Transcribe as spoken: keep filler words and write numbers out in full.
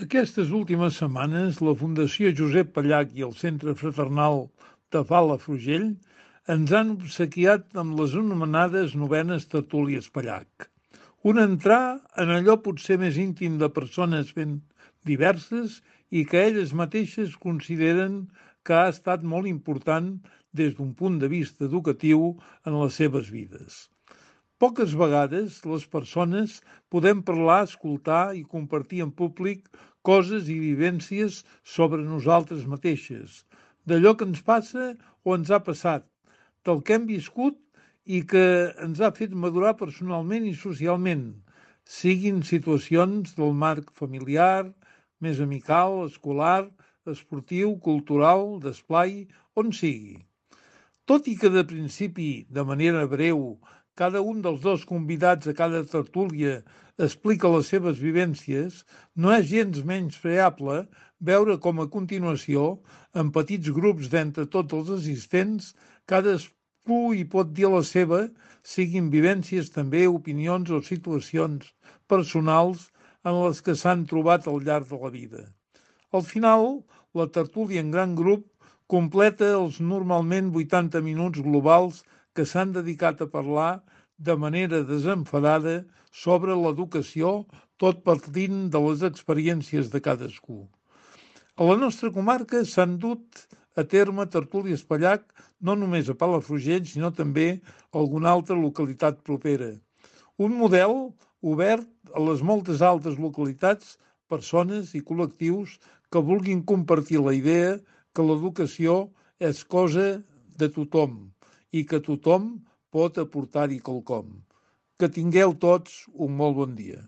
Aquestes últimes setmanes, la Fundació Josep Pallach i el Centre Fraternal de Palafrugell ens han obsequiat amb les anomenades novenes tertúlies Pallach. Un entrar en allò potser més íntim de persones ben diverses i que elles mateixes consideren que ha estat molt important des d'un punt de vista educatiu en les seves vides. Poques vegades les persones podem parlar, escoltar i compartir en públic coses i vivències sobre nosaltres mateixes, d'allò que ens passa o ens ha passat, del que hem viscut i que ens ha fet madurar personalment i socialment, siguin situacions del marc familiar, més amical, escolar, esportiu, cultural, d'esplai, on sigui. Tot i que de principi, de manera breu, cada un dels dos convidats a cada tertúlia explica les seves vivències, no és gens menys preable veure com a continuació, en petits grups d'entre tots els assistents, cadascú hi pot dir la seva, siguin vivències també, opinions o situacions personals en les que s'han trobat al llarg de la vida. Al final, la tertúlia en gran grup completa els normalment vuitanta minuts globals que s'han dedicat a parlar de manera desenfadada sobre l'educació, tot partint de les experiències de cadascú. A la nostra comarca s'han dut a terme tertúlies Pallach no només a Palafrugell, sinó també a alguna altra localitat propera. Un model obert a les moltes altres localitats, persones i col·lectius que vulguin compartir la idea que l'educació és cosa de tothom i que tothom pot aportar-hi quelcom. Que tingueu tots un molt bon dia.